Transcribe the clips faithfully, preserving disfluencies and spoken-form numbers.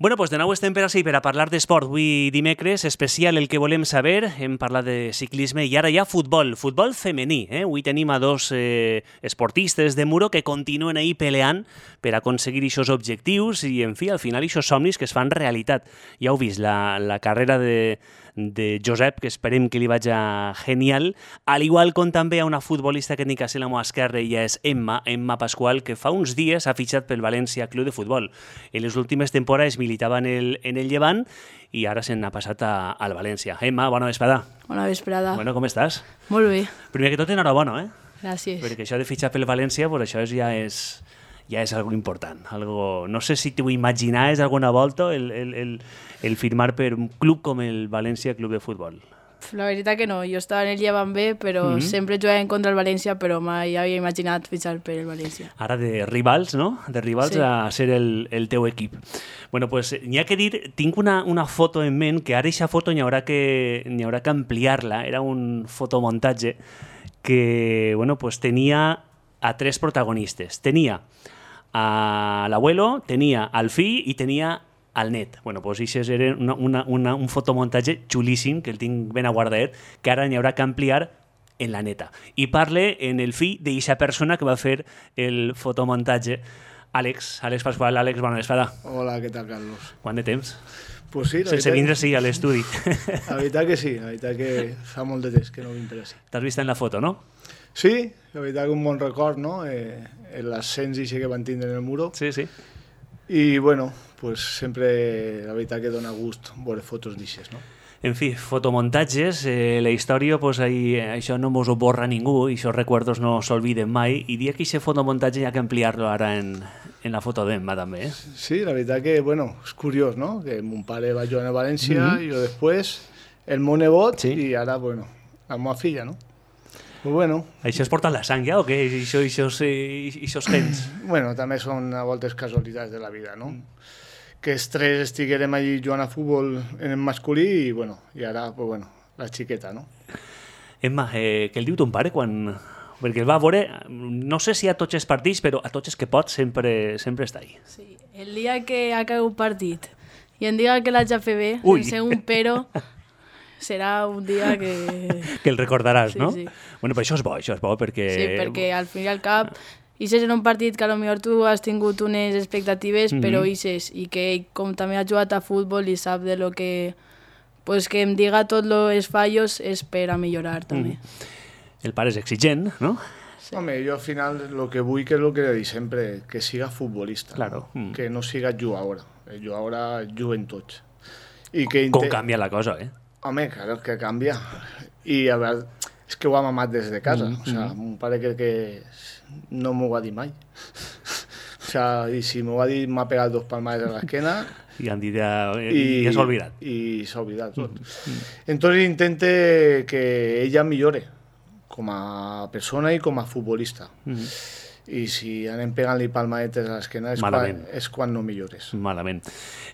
Bueno, doncs de nou estem per així per a parlar d'esport. Avui dimecres, especial el que volem saber. Hem parlat de ciclisme i ara hi ha futbol, futbol femení. Eh? Avui tenim a dos eh, esportistes de Muro que continuen ahí peleant per aconseguir aquests objectius i, en fi, al final, aquests somnis que es fan realitat. Ja heu vist, la, la carrera de, de Josep, que esperem que li vagi genial, al igual com també hi ha una futbolista que tinc a ser la meva esquerra, ella és Emma, Emma Pascual, que fa uns dies ha fitxat pel València Club de Futbol. En les últimes temporades militava en el, en el Llevant i ara se n'ha passat a, al València. Emma, bona vesprada. Bona vesprada. Bueno, com estàs? Molt bé. Primer que tot, enhorabona, eh? Gràcies. Perquè això de fitxar pel València, pues això és, ja és... ja és algo important. Algo... No sé si t'ho imaginaves alguna volta el, el, el, el firmar per un club com el València Club de Futbol. La veritat que no, jo estava en el Llevant B, però mm -hmm. sempre jugàvem contra el València, però mai havia imaginat fitxar per el València. Ara de rivals, no? De rivals sí. A ser el, el teu equip. Bueno, pues n'hi ha que dir, tinc una, una foto en ment, que ara aquesta foto n'hi haurà que, n'hi haurà que ampliar-la, era un fotomuntatge que, bueno, pues tenia a tres protagonistes. Tenia a l'abuelo, tenia al fill i tenia al net. Bueno, doncs això era una, una, una, un fotomuntatge xulíssim, que el tinc ben aguardat, que ara n'hi haurà que ampliar en la neta. I parle en el fill d'aquesta persona que va fer el fotomuntatge, Àlex, Àlex Pascual. Àlex, bona vesprada. Hola, què tal, Carlos? Quant de temps? Pues sí, la Sense veritat... vindre, sí, a l'estudi. La veritat que sí, la veritat que fa molt de temps que no vinc per així. T'has vist en la foto, no? Sí, la veritat que un bon record, no? Eh, l'ascens i que van tindre en el Muro. Sí, sí. I, bueno, pues sempre la veritat que dona gust veure fotos d'aixes, no? En fi, fotomuntatges, eh, la història, pues, ahí, això no mos ho borra ningú, i aquests recuerdos no s'olviden mai, i dia que aquest fotomuntatge hi ha que ampliar-lo ara en, en la foto d'Emma, també. Eh? Sí, la veritat que, bueno, és curiós, no? Que mon pare va jugar a València, mm -hmm. i jo després, el meu nebot, sí. I ara, bueno, la meva filla, no? Pues bueno. Això es porta en la sang ja o què? Això, això, això gens? Bueno, també són a voltes casualitats de la vida, no? Mm. Que els tres estiguérem allí jugant a futbol en el masculí i, bueno, i ara, pues bueno, la xiqueta, no? Emma, eh, què el diu ton pare quan... Perquè el va veure, no sé si a tots els partits, però a tots els que pot sempre, sempre està ahí. Sí, el dia que ha caigut un partit i em diga que l'haig de fer bé, Ui. sense un però... serà un dia que... que el recordaràs, sí, no? Sí. Bueno, però això és bo, això és bo, perquè... Sí, perquè al fin i al cap, ixes en un partit que potser tu has tingut unes expectatives, mm-hmm. però ixes, i que ell, com també ha jugat a futbol i sap de lo que... Pues que em diga tots els fallos és per a millorar, també. Mm. El pare és exigent, no? Sí. Home, jo al final el que vull que és el que dic sempre, que siga futbolista, claro. no? Mm. Que no siga jugadora. El jugadora juguen tots. I que Com canvia la cosa, eh? Home, claro, que canvia. I a veure, és que ho ha mamat des de casa. Mm-hmm. O sea, mon pare crec que no m'ho va dir mai. O sea, i si m'ho va dir, m'ha pegat dos palmades a l'esquena. I han dit ja, i, ja s'ha oblidat. I s'ha oblidat tot. Mm-hmm. Entonces intente que ella millore com a persona i com a futbolista. Mm-hmm. I si anem pegant-li palmadetes a l'esquena és, quan, és quan no millores. Malament.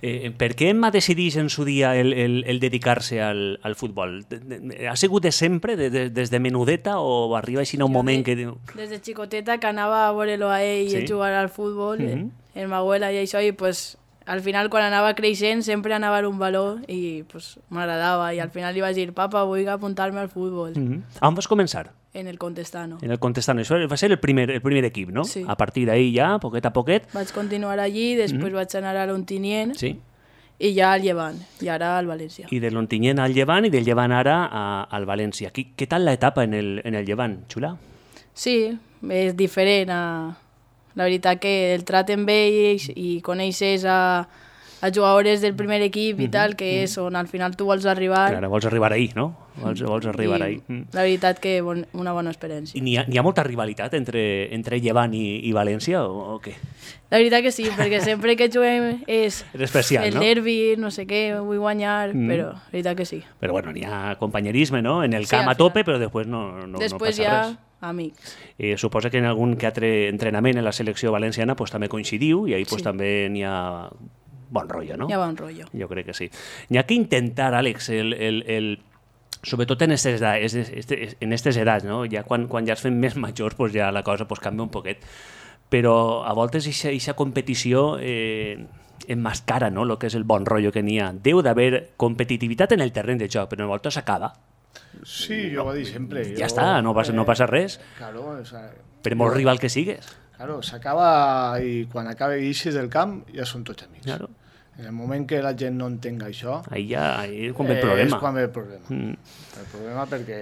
Eh, per què Emma decidís en su dia el, el, el dedicar-se al, al futbol? Ha sigut de sempre, de, de, des de menudeta, o arriba així un jo moment de, que... diu... Des de xicoteta que anava a veure-lo a ell sí? i jugar al futbol, mm-hmm. en ma abuela i això, i pues, al final quan anava creixent sempre anava a un valor i pues, m'agradava, i al final li vaig dir, papa, vull apuntar-me al futbol. Mm-hmm. On vas començar? En el Contestano. En el Contestano. Això va ser el primer, el primer equip, no? Sí. A partir d'ahí ja, poquet a poquet. Vaig continuar allí, després mm-hmm. vaig anar a l'Ontinyent sí. i ja al Llevant, i ara al València. I de l'Ontinyent al Llevant i del Llevant ara a, al València. Què, què tal l'etapa en el, en el Llevant, xula? Sí, és diferent. A... La veritat que el traten bé i, i coneixes a, a jugadors del primer equip i mm-hmm. tal, que és on al final tu vols arribar. Clar, vols arribar ahí, no? Vols, vols arribar ahí. La veritat que bon, una bona experiència. I n'hi ha, ha molta rivalitat entre, entre Llevant i, i València o, o què? La veritat que sí, perquè sempre que juguem és, és especial, el no? nervi, no sé què, vull guanyar, mm. però la veritat que sí. Però bueno, n'hi ha companyerisme, no? En el sí, camp a tope, però després no, no, després no passa ja, res. amics. Eh, suposa que en algun que altre entrenament en la selecció valenciana pues, també coincidiu i ahí pues, sí. també n'hi ha bon rotllo, no? Hi ha bon rotllo. Jo crec que sí. N'hi ha que intentar, Àlex, el... el, el sobretot en aquestes edats, en aquestes edats, no? Ja quan, quan ja es fem més majors, pues ja la cosa pues, canvia un poquet. Però a voltes aquesta competició eh, emmascara, no?, el que és el bon rotllo que n'hi ha. Deu d'haver competitivitat en el terreny de joc, però en el volta s'acaba. Sí, jo ho he dit sempre. Ja jo, està, no passa, no passa res. Claro, o sea, per molt jo, rival que sigues. Claro, s'acaba i quan acaba i eixes del camp ja són tots amics. Claro. En el moment que la gent no entenga això... Ahí ja ahí és quan ve el problema. És quan ve el problema. Mm. El problema perquè...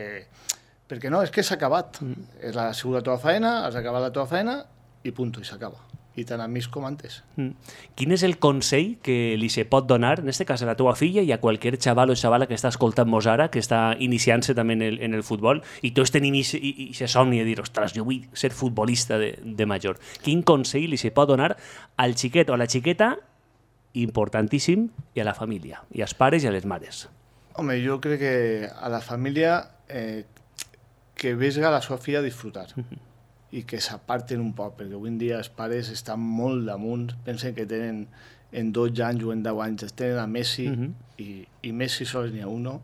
Perquè no, és que s'ha acabat. Mm. Has sigut la teva feina, has acabat la teva feina i punt, i s'acaba. I tan amics com antes. Mm. Quin és el consell que li se pot donar, en este cas a la teva filla i a qualsevol xaval o xavala que està escoltant-nos ara, que està iniciant-se també en el, en el futbol, i tots tenim aquest somni de dir, ostres, jo vull ser futbolista de, de major. Quin consell li se pot donar al xiquet o a la xiqueta, importantíssim, i a la família, i als pares i a les mares? Home, jo crec que a la família eh, que vesga la seva filla a disfrutar. Mm-hmm. I que s'aparten un poc, perquè avui en dia els pares estan molt damunt, pensen que tenen en dotze anys o en deu anys, tenen a Messi, uh-huh. i, i Messi sols n'hi ha uno,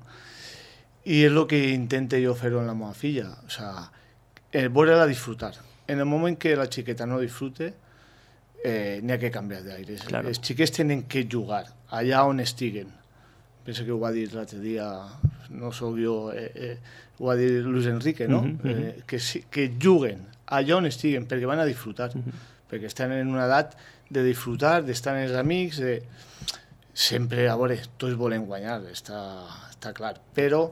i és el que intento jo fer-ho amb la meva filla, o sea, eh, veure-la disfrutar. En el moment que la xiqueta no disfrute, eh, n'hi ha que canviar d'aires. Claro. Els xiquets tenen que jugar, allà on estiguen. Penso que ho va dir l'altre dia, no sóc jo, eh, eh, ho va dir Luis Enrique, no? Uh-huh, uh-huh. Eh, que, que juguen allà on estiguen, perquè van a disfrutar, uh-huh. perquè estan en una edat de disfrutar, d'estar amb els amics, de... sempre, a veure, tots volem guanyar, està, està clar, però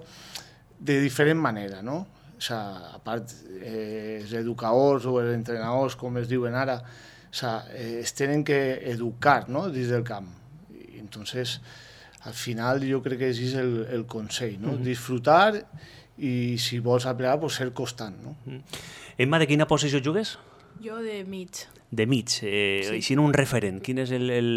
de diferent manera, no? O sea, a part, eh, els educadors o els entrenadors, com es diuen ara, o sea, eh, es tenen que educar, no?, dins del camp. I, entonces, al final, jo crec que és el, el consell, no? Uh-huh. Disfrutar i, si vols aplicar, pues, ser constant, no? Uh-huh. Emma, de quina posició jugues? Jo de mig. De mig. Eh, sí. I si no un referent, quin és el, el,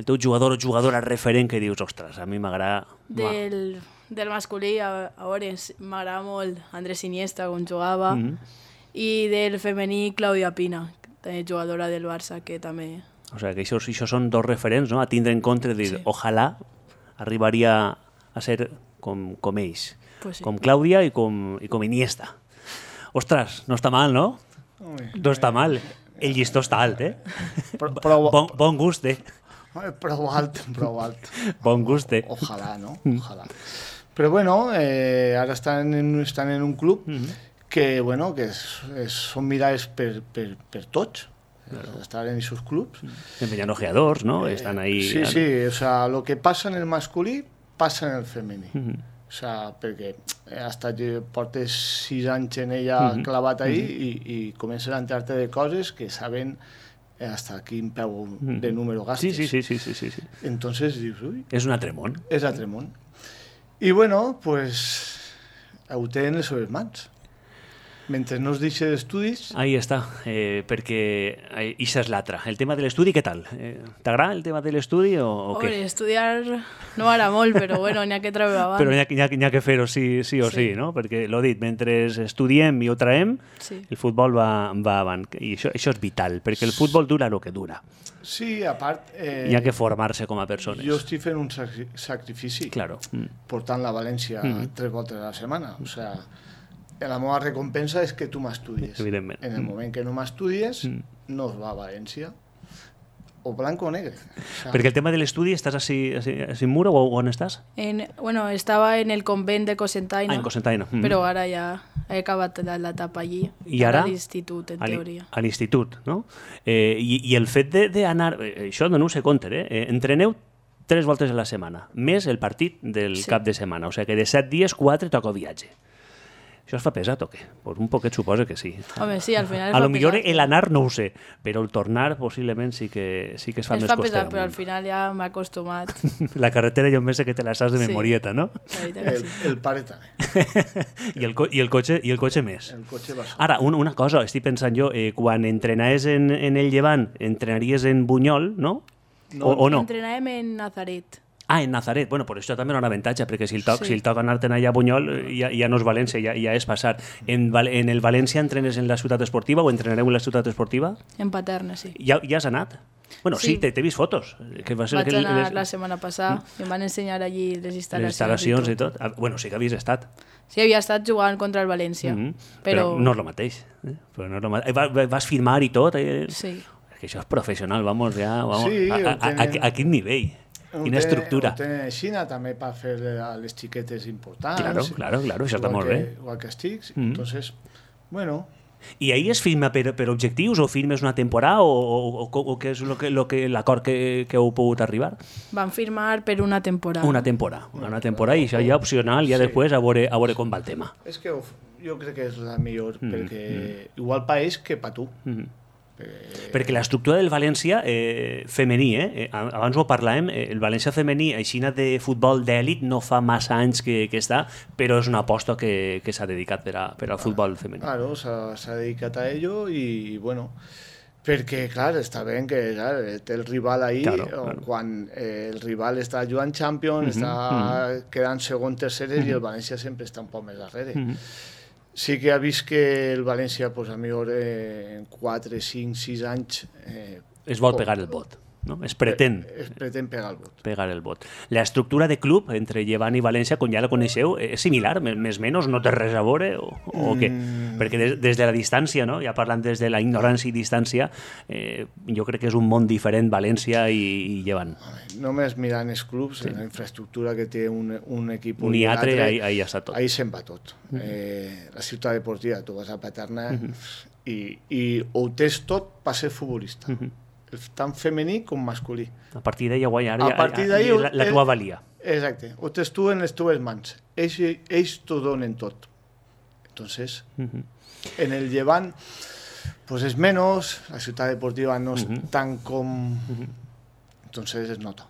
el teu jugador o jugadora referent que dius, ostres, a mi m'agrada... Del, del masculí, a, a veure, m'agrada molt Andrés Iniesta, com jugava, mm-hmm. i del femení, Claudia Pina, també jugadora del Barça, que també... O sigui, que això, això són dos referents, no?, a tindre en compte, dir, sí. ojalà arribaria a ser com, com ells, pues sí. com Clàudia i com, i com Iniesta. Ostres, no està mal, no? Ui, no està mal. El llistó està alt, eh? Però, però, bon, bon gust, eh? Prou alt, prou alt. Bon gust, eh? Ojalà, no? Ojalà. Però bueno, eh, ara estan en, estan en un club mm-hmm. que, bueno, que és, és, són mirades per, per, per tots. Claro. Estar en aquests clubs. Enviant ojeadors, no? Eh, estan ahí... Sí, sí, o sea, lo que passa en el masculí passa en el femení. Mm-hmm. O sea, perquè hasta que portes sis anys en ella mm-hmm. clavat ahí mm-hmm. i, i comences a enterar-te de coses que saben hasta quin peu mm-hmm. de número gastes. Sí, sí, sí, sí, sí, sí. Entonces dius, uy... És un altre món. És altre món. I bueno, pues, ho tenen les seves mans. Mentre no es deixi d'estudis... Ahí està, eh, perquè això és l'altre. El tema de l'estudi, què tal? Eh, T'agrada el tema de l'estudi o, o què? Home, estudiar no m'agrada molt, però bueno, n'hi ha que treure abans. Però n'hi ha, ha, ha que fer-ho sí, sí o sí, sí, no? Perquè, l'ho dit, mentre estudiem i ho traiem, sí. el futbol va, va avant. I això, això és vital, perquè el futbol dura el que dura. Sí, a part... Eh, hi ha que formar-se com a persones. Jo estic fent un sacrifici, claro. mm. portant la València mm. tres voltes a la setmana, o sea... La meva recompensa és que tu m'estudies. Evidentment. En el moment que no m'estudies, mm. no es va a València. O blanco o negre. O sea, perquè el tema de l'estudi, estàs a, a Simura o on estàs? En, bueno, estava en el convent de Cocentaina. Ah, en Cocentaina. Mm. Però ara ja he acabat l'etapa allí. I ara? A l'institut, en teoria. A l'institut, no? Eh, i, I el fet d'anar... Això no ho sé compte, eh? Entreneu tres voltes a la setmana, més el partit del sí. cap de setmana. O sigui que de set dies, quatre toca viatge. Això es fa pesat o què? Pues un poquet suposa que sí. Home, sí, al final es a fa lo millor pesat. El anar no ho sé, però el tornar possiblement sí que, sí que es fa es més fa coster. pesat, però al final ja m'he acostumat. La carretera jo més sé que te la saps de memorieta, sí. no? El, el pare també. I, el, i, el cotxe, I el cotxe més. El cotxe va sol. Ara, un, una cosa, estic pensant jo, eh, quan entrenaves en, en el Llevant, entrenaries en Bunyol, no? no o, o no? Entrenàvem en Nazaret. Ah, en Nazaret. Bueno, per això també era un avantatge, perquè si el toc, sí. si el toc anar-te'n allà a Bunyol ja, ja no és València, ja, ja és passar. En, en el València entrenes en la ciutat esportiva o entrenareu en la ciutat esportiva? En Paterna, sí. Ja, ja has anat? Bueno, sí, sí t'he vist fotos. Que va ser Vaig que anar les... la setmana passada i em van ensenyar allí les instal·lacions. Les instal·lacions i tot. I tot. Bueno, sí que havies estat. Sí, havia estat jugant contra el València. Mm-hmm. però... però no és el mateix. Eh? Però no és el mateix. Vas, vas filmar i tot? Eh? Sí. que això és professional, vamos, ja, vamos, Sí, a, a, a, tenen- a, a quin nivell, quina estructura. Ho tenen a Xina també per fer a les xiquetes importants. Claro, claro, claro, això està igual molt que, bé. Igual que estics. Mm. Entonces, bueno, I ahir es firma per, per objectius o firmes una temporada o, o, o, o què és lo que, lo que, l'acord que, que heu pogut arribar? Van firmar per una temporada. Una temporada, una temporada i això ja opcional, ja Sí. després a veure, a veure com va el tema. és que ho- jo crec que és la millor, Mm, perquè igual pa ells que pa tu. Mhm. Eh, Perquè l'estructura del València eh, femení, eh, eh, abans ho parlàvem, eh, el València femení, aixina de futbol d'èlit, no fa massa anys que, que està, però és una aposta que, que s'ha dedicat per, a, per al futbol femení. Claro, s'ha s'ha dedicat a ello i, bueno, perquè, clar, està bé que clar, té el rival ahí, Claro, o claro. quan eh, el rival està jugant Champions, Mhm, està quedant segon, terceres, i el València sempre està un poc més darrere. Mhm. Sí que ha vist que el València, pues, a millor eh, en quatre, cinc, sis anys... Eh, Es vol po- pegar el vot, no? Es pretén Es pretén pegar el vot. pegar el vot. L'estructura de club entre Llevant i València, com ja la coneixeu, és similar, més més o menys, no té res a veure o, o què? Mm. Perquè des, des de la distància, no? Ja parlant des de la ignorància i distància, eh, jo crec que és un món diferent València i, i Llevant. Només mirant els clubs, sí. La infraestructura que té un, un equip Un i i altre, l'altre, ahí, ahí ja està tot. ahí se'n va tot. Eh, la ciutat deportiva, tu vas a Paterna i, i ho tens tot per ser futbolista. Tant femení com masculí. A partir d'ahí, guai, ara A ja, partir ja, d'ahí, ja, la, la eh, tua valia. Exacte. Ho tens tu en les teves mans. Ells, ells t'ho donen tot. Entonces, Mhm. en el Llevant, pues es menos, la ciutat deportiva no és tan com... Entonces es nota.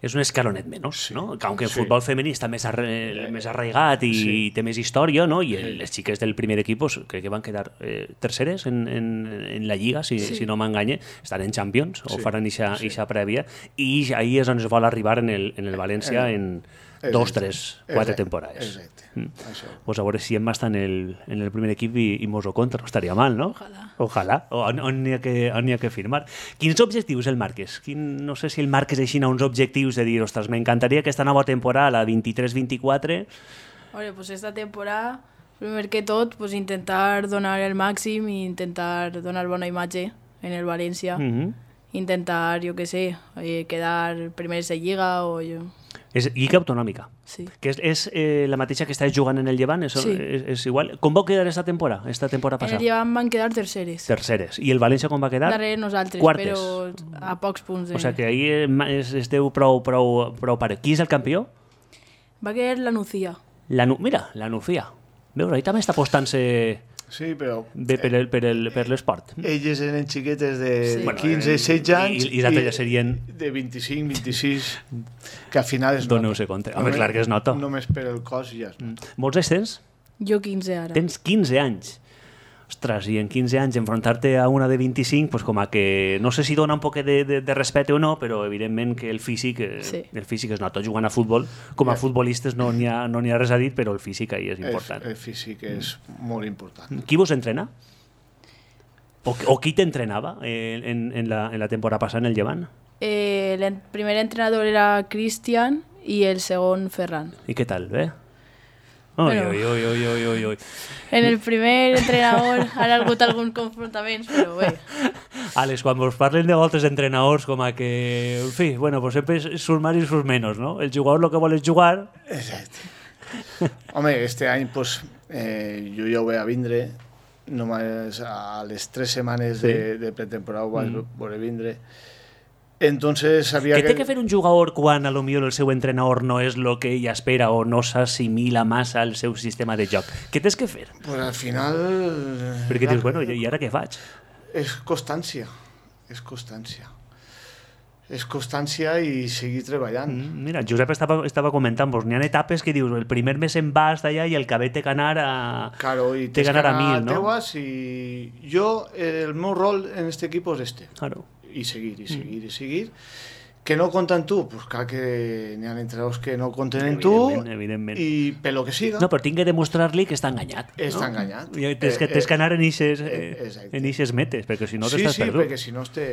És un escalonet menys, Sí. no? Aunque el Sí. futbol femení està més, arre, més arraigat i Sí. té més història, no? I el, les xiques del primer equip pues, crec que van quedar eh, terceres en, en, en la Lliga, si, Sí. si no m'enganye, estan en Champions, o Sí, faran ixa, sí. ixa prèvia, i ahir és on es vol arribar en el, en el València en dos, Exacte. tres, quatre Exacte. temporades. Exacte. Mm. Això. Pues a veure si Emma està en el, en el primer equip i, i mos ho conta, no estaria mal, no? Ojalà. Ojalà. O on, on n'hi ha, que, on n'hi ha que firmar. Quins objectius el marques? Quin, no sé si el marques així a uns objectius de dir, ostres, m'encantaria aquesta nova temporada, la vint-i-tres vint-i-quatre... Oye, pues esta temporada, primer que tot, pues intentar donar el màxim i intentar donar bona imatge en el València. Mm -hmm. Intentar, jo què sé, eh, quedar primers de Lliga o jo... És Lliga Autonòmica, Sí. que és, és eh, la mateixa que estàs jugant en el Llevant, és, Sí. és, és igual. Com vau quedar esta temporada, esta temporada En el passada? Llevant van quedar terceres. Terceres. I el València com va quedar? Darrere nosaltres, Quartes. però a pocs punts. De... O sigui que ahir es, esteu prou, prou, prou pare. Qui és el campió? Va quedar la Nucía. La, Nu- mira, la Nucía. Veus, ahí també està apostant-se Sí, però bé per, el, per, el, per l'esport. elles eren xiquetes de Sí. bueno, quinze, setze anys I, i, i l'altre ja serien... de vint-i-cinc, vint-i-sis, que al final es Doneu-se compte. Home, Només- clar que es nota. Només per el cos ja es Mm. nota. Molts anys tens? Jo quinze ara. Tens quinze anys. Ostres, i en quinze anys enfrontar-te a una de vint-i-cinc, pues com a que no sé si dona un poc de, de, de respecte o no, però evidentment que el físic, eh, Sí. el físic es nota jugant a futbol. Com a futbolistes no n'hi ha, no n'hi ha res a dir, però el físic ahí és important. El, el físic és molt important. Qui vos entrena? O, o qui t'entrenava eh, en, en, la, en la temporada passada en el Llevant? Eh, el primer entrenador era Cristian i el segon Ferran. I què tal, bé? Ui, Bueno. ui, ui, ui, ui, ui, ui. En el primer entrenador han hagut alguns confrontaments, però bé. Àlex, quan vos parlen de voltes d'entrenadors com a que, en fi, bueno, pues sempre surt més i surt menys, no? El jugador el que vol és jugar. Exacte. Home, este any pues, eh, jo ja ho vaig a vindre, només a les tres setmanes Sí. de, de pretemporada ho vaig mm. veure vindre. Entonces sabia Què que... té que fer un jugador quan a lo millor el seu entrenador no és el que ell espera o no s'assimila massa al seu sistema de joc? Què tens que fer? Pues al final... Perquè clar, dius, bueno, i ara què faig? És constància, és constància. És constància i seguir treballant. Mm, Mira, Josep estava, estava comentant, doncs n'hi ha etapes que dius, el primer mes en vas d'allà i el cabet té que anar a... Claro, y té que tienes que anar a ganar mil, no? teues y yo, el meu rol en este equipo es este. Claro. Y seguir, y seguir, y seguir. Que no contan tú, pues claro que n'hi ha entrenadors que no conten en tu Evidentment, evidentment. i per lo que siga, No, però tinc que demostrar-li que està enganyat. està no? enganyat. I tens que, Eh, tens que anar en ixes, eh, eh, exacte. en ixes metes, perquè si no sí, t'estàs sí, perdut. perquè si no es té...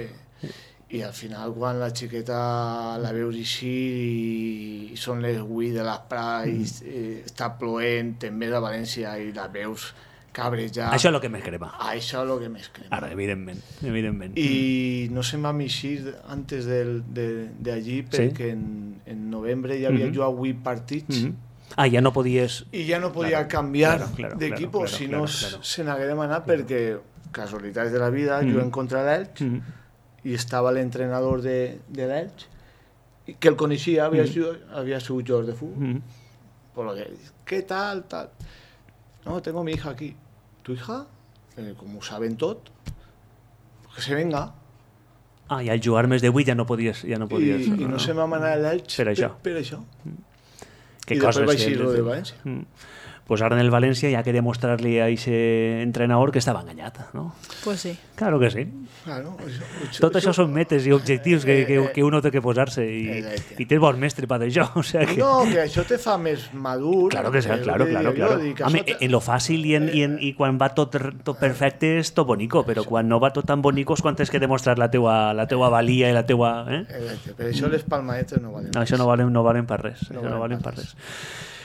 I al final quan la xiqueta la veus així i, i són les vuit de l'esprà i eh, està ploent, te'n ves a València i la veus cabrejar. Això és el que més crema. Això és el que més crema. Ara, evidentment, evidentment. I no se'n va eixir antes del, de, de allí perquè sí? en, en novembre ja havia mm-hmm. jugat vuit partits. Mm-hmm. Ah, ja no podies... I ja no podia claro, canviar claro, claro, d'equip, claro, claro, si claro, no claro. se n'hagué demanat claro. perquè, casualitats de la vida, mm-hmm. juguem contra l'Elx mm-hmm. i estava l'entrenador de, de l'Elx, que el coneixia, havia, mm-hmm. sigut, havia sigut jugador de futbol. Mm-hmm. Por lo que, ¿qué tal, tal? No, tengo mi hija aquí. ¿Tu hija? Eh, como saben tot, que se venga. Ah, i al jugar més de vuit ja no podies... Ja no podies I, no, i no, no se m'ha manat l'Elx per això. Per, per això. Mm. Que I després vaig ir-lo de València. Mm. Pues ara en el València ja quería mostrarle a ese entrenador que estava enganyat, ¿no? Pues sí. Claro que sí. Claro, això, això, Tot això són metes i objectius que, que, que uno té que posar-se i, i tens bon mestre per això. O sea que... No, que això te fa més madur. Claro que sí, claro, claro. claro. Home, en lo fàcil i, en, i, en, i quan va tot, tot perfecte és tot bonico, però quan no va tot tan bonico és quan tens que demostrar la teua, la teua valia i la teua... Eh? Per això les palmadetes no valen. No, això no valen, no valen per res. No, no valen per res.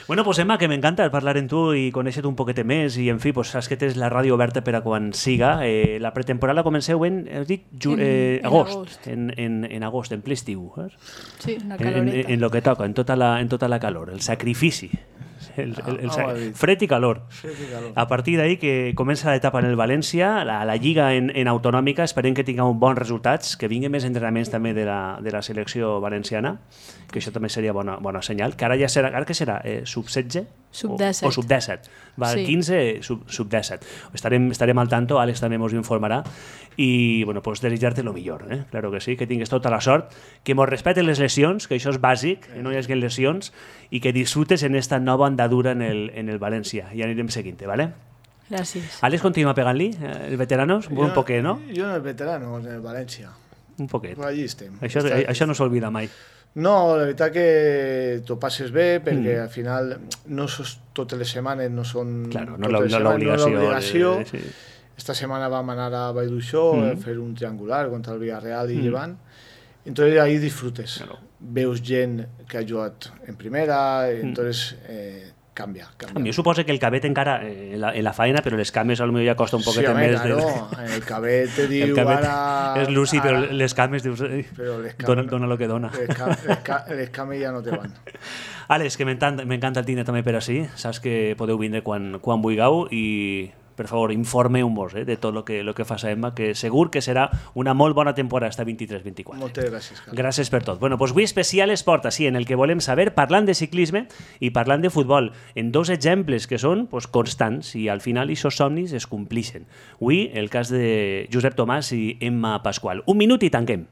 Bueno, pues Emma, que m'encanta parlar amb tu i conèixer-te un poquet més i, en fi, pues, saps que tens la ràdio oberta per a quan siga. Eh, la pretemporada comenceu en, has dit, ju, eh, en, agost, en agost, en, en, en agost, en ple estiu. Eh? Sí, una caloreta. En, en, en lo que toca, en tota la, en tota la calor, el sacrifici. El, el, el, el, fred i calor. Fred i calor. A partir d'ahí que comença l'etapa en el València, la, la Lliga en, en autonòmica, esperem que tingueu bons resultats, que vinguin més entrenaments també de la, de la selecció valenciana, que això també seria bona, bona senyal, que ara ja serà, ara què serà? Eh, sub setze? Sub disset. O, o sub disset. Va, sí. quinze, sub, sub disset. Estarem, estarem al tanto, Àlex també ens informarà, i bueno, pues desitjar-te lo millor, eh? Claro que sí, que tingues tota la sort, que mos respeten les lesions, que això és bàsic, que no hi hagi lesions, i que disfrutes en esta nova andadura en el, en el València. I anirem seguint-te, ¿vale? Gràcies. Àlex continua pegant-li, eh, els veteranos? Un poquet, no? Jo en el veterano, en el València. Un poquet. Allí estem. Això, Està... això no s'olvida mai. No, la veritat que t'ho passes bé, perquè mm. al final no sos, totes les setmanes no són... Claro, no l'obligació. No sí. Esta setmana vam anar a Vallduixó mm. a fer un triangular contra el Villarreal i mm. Llevant. Entonces ahí disfrutes. Claro. Veus gent que ha jugat en primera, entonces eh, canvia, canvia. A mi suposa que el cabet encara eh, en, la, en la faena, però les cames potser ja costa un poquet sí, home, més. Claro, de... el cabet te diu el cabet ara... És lúcid, ara... però les cames dius, però les cames, dona, dona lo que dona. Les, cam, les, ca, les cames ja no te van. Àlex, que m'encanta el tindre també per així. Saps que podeu vindre quan, quan vulgueu i... per favor, informeu-vos eh, de tot el que, lo que fa Emma, que segur que serà una molt bona temporada esta vint-i-tres vint-i-quatre. Moltes gràcies, Carles. Gràcies per tot. Bueno, pues avui especial esport, així, en el que volem saber, parlant de ciclisme i parlant de futbol, en dos exemples que són pues, constants i al final aquests somnis es complixen. Avui, el cas de Josep Tomàs i Emma Pasqual. Un minut i tanquem.